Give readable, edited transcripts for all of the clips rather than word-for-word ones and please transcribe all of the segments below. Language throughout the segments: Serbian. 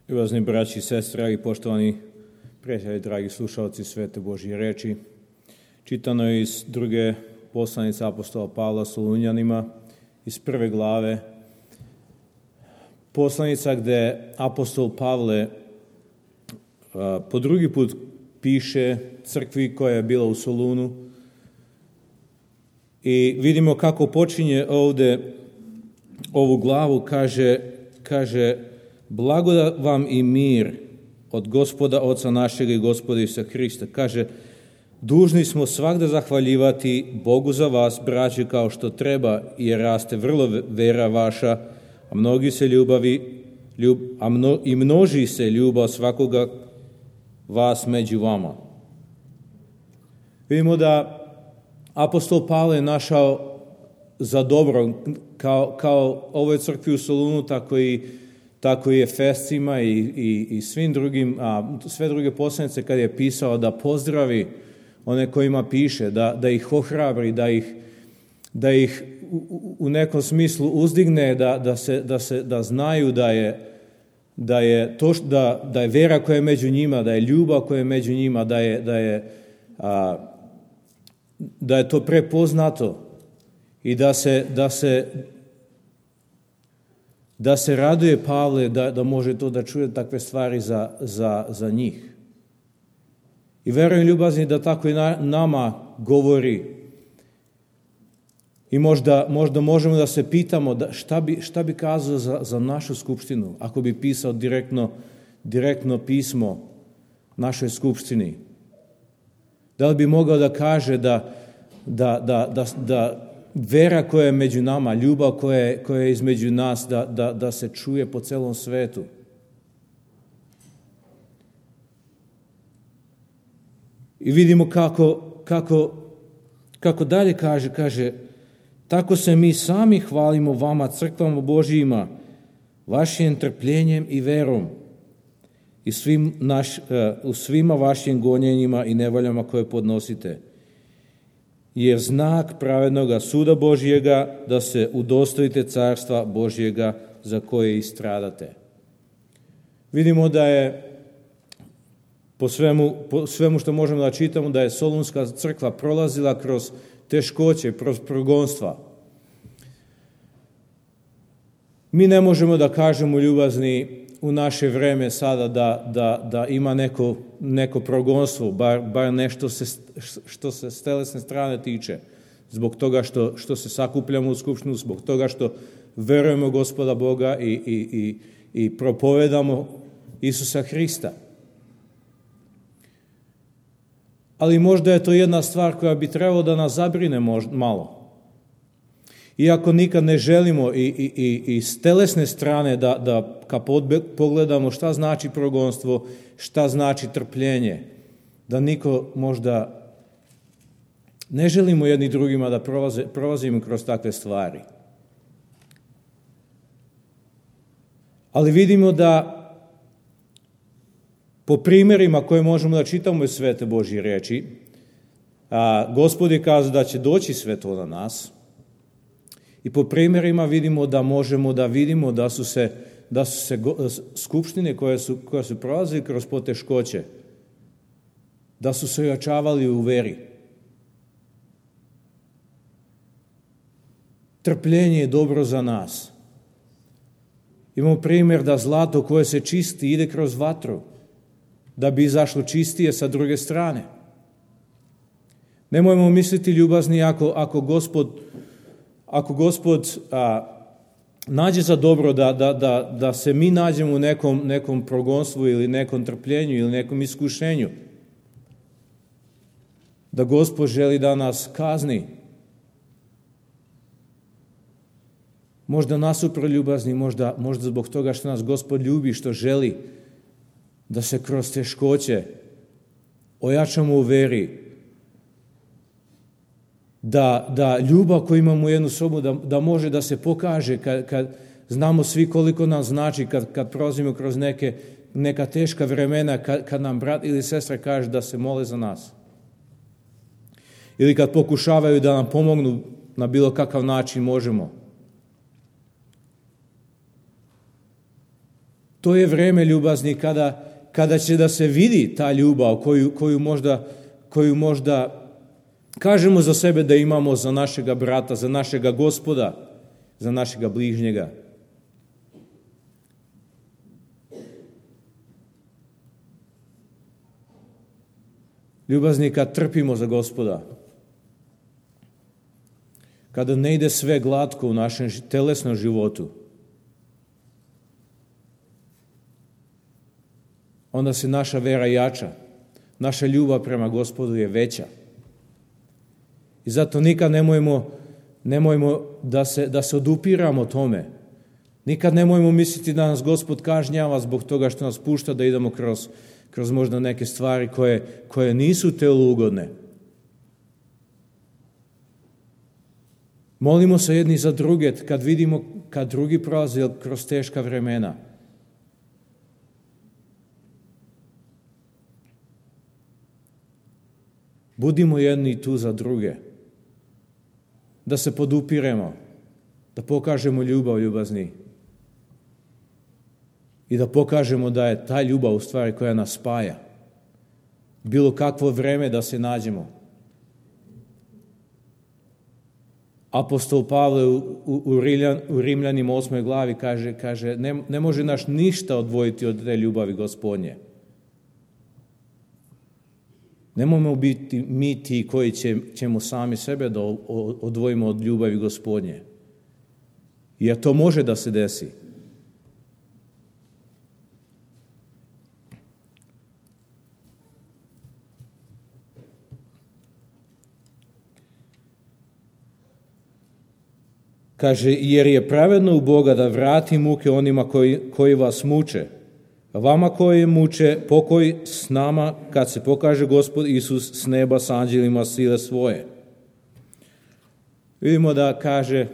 Ljubazni braći i sestre, dragi poštovani prijatelji, dragi slušalci Svete Božje reči, čitano je iz druge poslanice apostola Pavla Solunjanima, iz 1. glave. Poslanica gde apostol Pavle po drugi put piše crkvi koja je bila u Solunu i vidimo kako počinje ovde ovu glavu, kaže blagodat vam i mir od Gospoda Oca našega i Gospoda Isusa Hrista. Kaže, dužni smo svagda zahvaljivati Bogu za vas, braće, kao što treba, jer raste vrlo vera vaša, a množi se ljubav svakoga vas među vama. Vidimo da apostol Pavle je našao za dobro, kao ovoj crkvi u Solunu, tako i Efescima i svim drugim, sve druge poslanice kad je pisao da pozdravi one kojima piše, da ih ohrabri, da ih u nekom smislu uzdigne, da znaju da je vera koja je među njima, da je ljubav koja je među njima, da je to prepoznato i da se raduje Pavle da može to da čuje takve stvari za njih. I verujem, ljubazni, da tako i nama govori. I možda možemo da se pitamo šta bi kazao za našu skupštinu ako bi pisao direktno pismo našoj skupštini. Da li bi mogao da kaže da vera koja je među nama, ljubav koja je između nas, da se čuje po celom svetu. I vidimo kako dalje kaže, tako se mi sami hvalimo vama, crkvama Božijima, vašim trpljenjem i verom i u svima vašim gonjenjima i nevoljama koje podnosite. Jer znak pravednoga suda Božjega da se udostojite carstva Božjega za koje i stradate. Vidimo da je po svemu što možemo da čitamo, da je Solunska crkva prolazila kroz teškoće, kroz progonstva. Mi ne možemo da kažemo, ljubazni, u naše vreme sada da ima neko progonstvo, bar nešto što se s telesne strane tiče, zbog toga što se sakupljamo u skupštinu, zbog toga što verujemo Gospoda Boga i propovedamo Isusa Hrista. Ali možda je to jedna stvar koja bi trebalo da nas zabrine malo. Iako nikad ne želimo i s telesne strane da kad pogledamo šta znači progonstvo, šta znači trpljenje, da niko možda ne želimo jedni drugima da prolazimo kroz takve stvari. Ali vidimo da po primjerima koje možemo da čitamo iz Svete Božje reči, Gospod je kazao da će doći sve to na nas. I po primjerima vidimo da možemo da vidimo da su se skupštine koje su prolazili kroz poteškoće, da su se ojačavali u veri. Trpljenje je dobro za nas. Imamo primjer da zlato koje se čisti ide kroz vatru, da bi izašlo čistije sa druge strane. Nemojmo misliti, ljubazni, ako Gospod nađe za dobro da se mi nađemo u nekom progonstvu ili nekom trpljenju ili nekom iskušenju, da Gospod želi da nas kazni. Možda nasuprot, ljubazni, možda zbog toga što nas Gospod ljubi, što želi da se kroz teškoće ojačamo u veri, da ljubav koju imamo u jednu sobu, da može da se pokaže kad znamo svi koliko nam znači, kad prolazimo kroz neka teška vremena, kad nam brat ili sestra kaže da se mole za nas. Ili kad pokušavaju da nam pomognu na bilo kakav način možemo. To je vreme, ljubazni, kada će da se vidi ta ljubav koju možda kažemo za sebe da imamo za našega brata, za našega Gospoda, za našega bližnjega. Ljubazni, kad trpimo za Gospoda, kada ne ide sve glatko u našem telesnom životu, onda se naša vera jača, naša ljubav prema Gospodu je veća. I zato nikad nemojmo da se odupiramo tome. Nikad nemojmo misliti da nas Gospod kažnjava zbog toga što nas pušta da idemo kroz možda neke stvari koje nisu telu ugodne. Molimo se jedni za druge kad vidimo kad drugi prolaze kroz teška vremena. Budimo jedni tu za druge. Da se podupiremo, da pokažemo ljubav, ljubazni. I da pokažemo da je ta ljubav u stvari koja nas spaja. Bilo kakvo vreme da se nađemo. Apostol Pavle u Rimljanima 8. glavi kaže ne može nas ništa odvojiti od te ljubavi Gospodnje. Nemojmo biti mi ti koji ćemo sami sebe da odvojimo od ljubavi Gospodnje. Jer to može da se desi. Kaže, jer je pravedno u Boga da vrati muke onima koji vas muče, a vama koji muče pokoj s nama kad se pokaže Gospod Isus s neba s anđelima sile svoje. Vidimo da kaže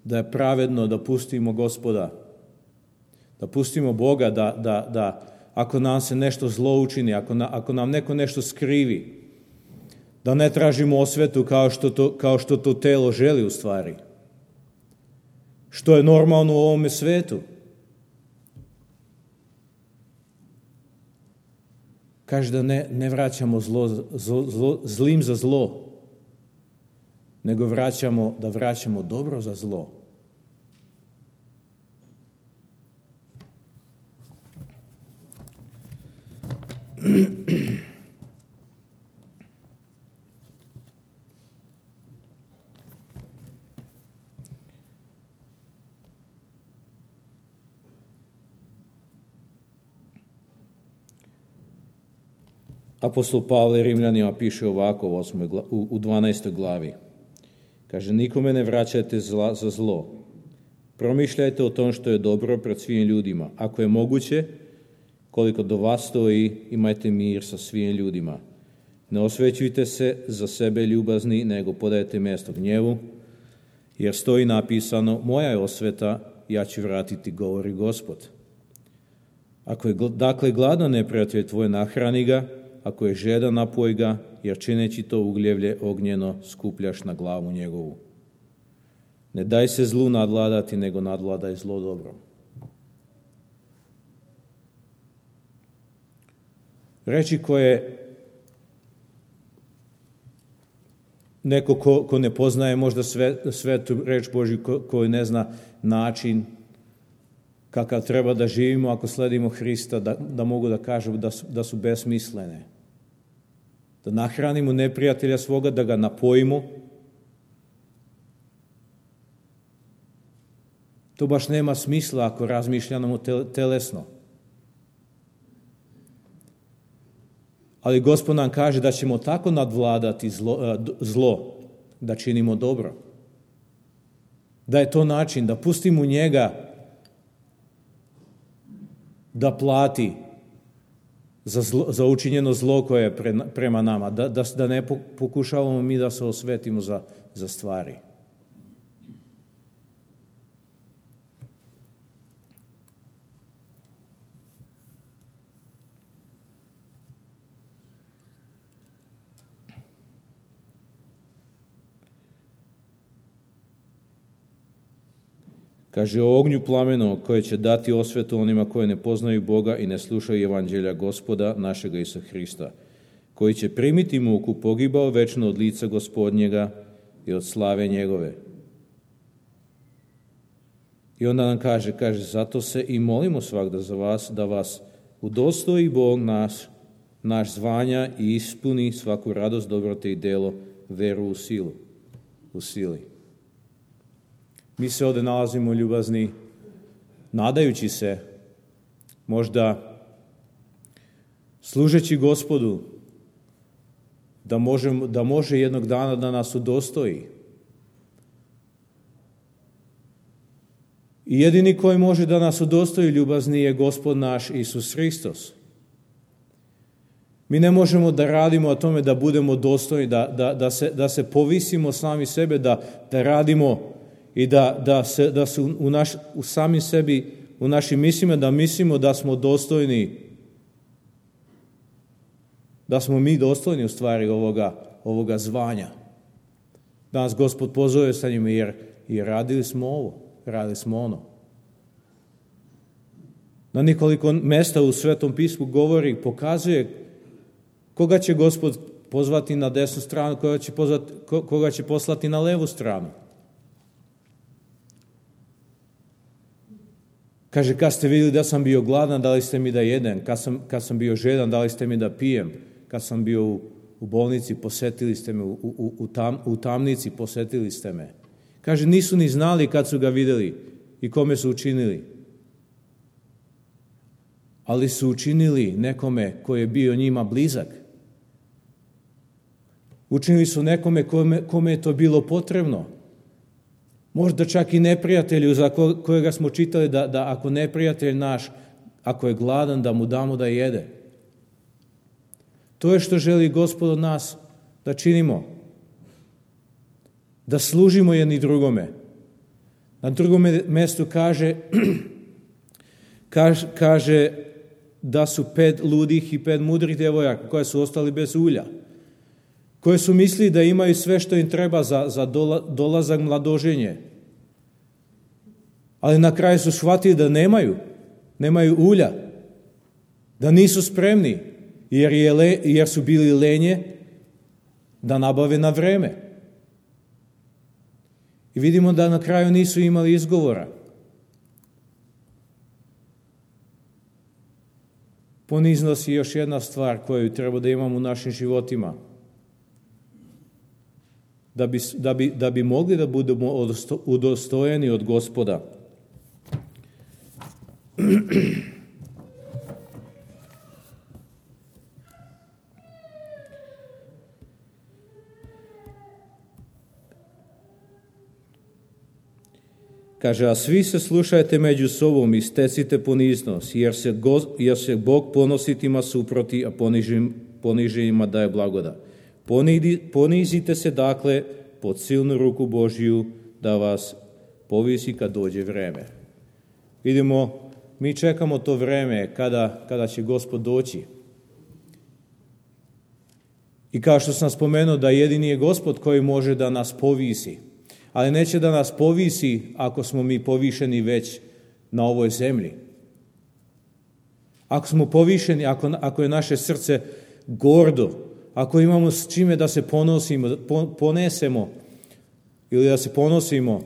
da je pravedno da pustimo Gospoda, da pustimo Boga da ako nam se nešto zlo učini, ako nam neko nešto skrivi, da ne tražimo osvetu kao što to telo želi u stvari. Što je normalno u ovome svetu. Kaže da ne vraćamo zlim za zlo, nego da vraćamo dobro za zlo. Apostol Pavle Rimljanima piše ovako u 12. glavi. Kaže, nikome ne vraćajte zla za zlo. Promišljajte o tom što je dobro pred svim ljudima. Ako je moguće, koliko do vas stoji, imajte mir sa svim ljudima. Ne osvećujte se za sebe ljubazni, nego podajte mjesto gnjevu, jer stoji napisano, moja je osveta, ja ću vratiti, govori Gospod. Ako je dakle gladan neprijatelj tvoj, nahrani ga, ako je žedan, napoj ga, jer čineći to ugljevlje ognjeno skupljaš na glavu njegovu. Ne daj se zlu nadvladati, nego nadvladaj zlo dobro. Reči koje neko ko ne poznaje možda svetu reč Božju, koji ne zna način kakav treba da živimo ako sledimo Hrista, da mogu da kažu da su besmislene. Da nahranimo neprijatelja svoga, da ga napojimo. To baš nema smisla ako razmišljamo telesno. Ali Gospod nam kaže da ćemo tako nadvladati zlo, da činimo dobro. Da je to način da pustimo njega da plati za učinjeno zlo koje je prema nama, da ne pokušavamo mi da se osvetimo za stvari. Kaže o ognju plamenog koje će dati osvetu onima koji ne poznaju Boga i ne slušaju evanđelja Gospoda našega Isusa Hrista, koji će primiti muku pogibao večno od lica Gospodnjega i od slave njegove. I onda nam kaže, zato se i molimo svagda za vas, da vas udostoji Bog naš zvanja i ispuni svaku radost, dobrote i delo, veru u sili. Mi se ovdje nalazimo, ljubazni, nadajući se, možda služeći Gospodu, da može jednog dana da nas udostoji. I jedini koji može da nas udostoji, ljubazni, je Gospod naš Isus Hristos. Mi ne možemo da radimo o tome da budemo dostojni, da se povisimo sami sebe, da radimo i da se u sami sebi, u našim mislima, da mislimo da smo dostojni, da smo mi dostojni u stvari ovoga zvanja. Da nas Gospod pozove sa njima, jer radili smo ovo, radili smo ono. Na nekoliko mesta u Svetom pismu govori, pokazuje koga će Gospod pozvati na desnu stranu, koga će poslati na levu stranu. Kaže, kad ste vidjeli da sam bio gladan, dali ste mi da jedem. Kad sam bio žedan, dali ste mi da pijem. Kad sam bio u bolnici, posetili ste me. U tamnici posetili ste me. Kaže, nisu ni znali kad su ga vidjeli i kome su učinili. Ali su učinili nekome koji je bio njima blizak. Učinili su nekome kome je to bilo potrebno. Možda čak i neprijatelju za kojega smo čitali da ako neprijatelj naš, ako je gladan, da mu damo da jede. To je što želi Gospod od nas da činimo. Da služimo jedni drugome. Na drugom mjestu kaže da su 5 ludih i 5 mudrih djevojaka koje su ostali bez ulja. Koje su mislili da imaju sve što im treba za dolazak mladoženje. Ali na kraju su shvatili da nemaju ulja, da nisu spremni, jer su bili lenje da nabave na vreme. I vidimo da na kraju nisu imali izgovora. Poniznost je još jedna stvar koju treba da imamo u našim životima. Da bi mogli da budemo udostojeni od Gospoda. Kaže, a svi se slušajte među sobom i stecite poniznost, jer se Bog ponositima suproti, a poniženima daje blagodat. Ponizite se dakle pod silnu ruku Božju da vas povisi kad dođe vreme. Vidimo, mi čekamo to vreme kada će Gospod doći. I kao što sam spomenuo da jedini je Gospod koji može da nas povisi. Ali neće da nas povisi ako smo mi povišeni već na ovoj zemlji. Ako smo povišeni, ako je naše srce gordo, ako imamo s čime da se ponesemo ili da se ponosimo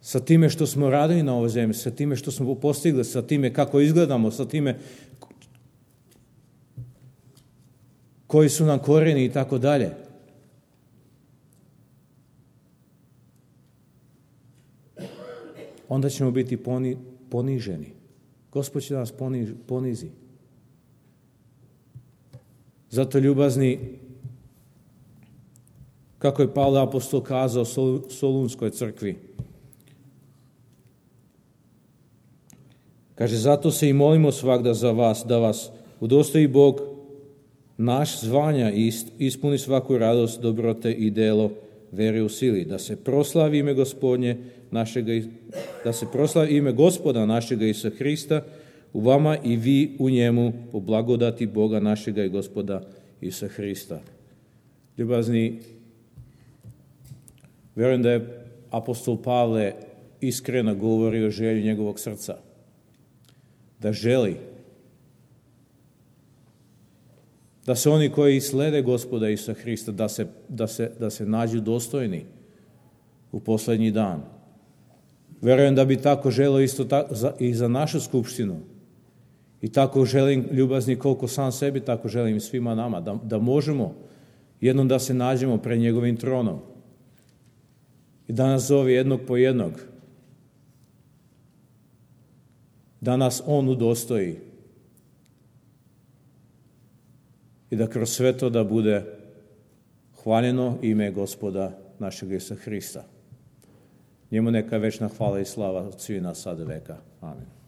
sa time što smo radili na ovoj zemlji, sa time što smo postigli, sa time kako izgledamo, sa time koji su nam korijeni i tako dalje. Onda ćemo biti poniženi. Gospod će nas ponizi. Zato, ljubazni, kako je Pavle apostol kazao Solunskoj crkvi, kaže, zato se i molimo svagda za vas, da vas udostoji Bog naš zvanja i ispuni svaku radost, dobrote i delo vere u sili, da se proslavi ime Gospodnje da se proslavi ime Gospoda našega Isusa Hrista u vama i vi u njemu po blagodati Boga našega i Gospoda Isusa Hrista. Ljubazni, vjerujem da je apostol Pavle iskreno govori o želji njegovog srca. Da želi da se oni koji slede Gospoda Isusa Hrista, da se nađu dostojni u posljednji dan. Verujem da bi tako želio isto i za našu skupštinu. I tako želim, ljubazni koliko sam sebi, tako želim svima nama, da možemo jednom da se nađemo pred njegovim tronom. I da nas zove jednog po jednog. Da nas on udostoji. I da kroz sve to da bude hvaljeno ime Gospoda našeg Isusa Hrista. Njemu neka večna hvala i slava od svih nas sada veka. Amen.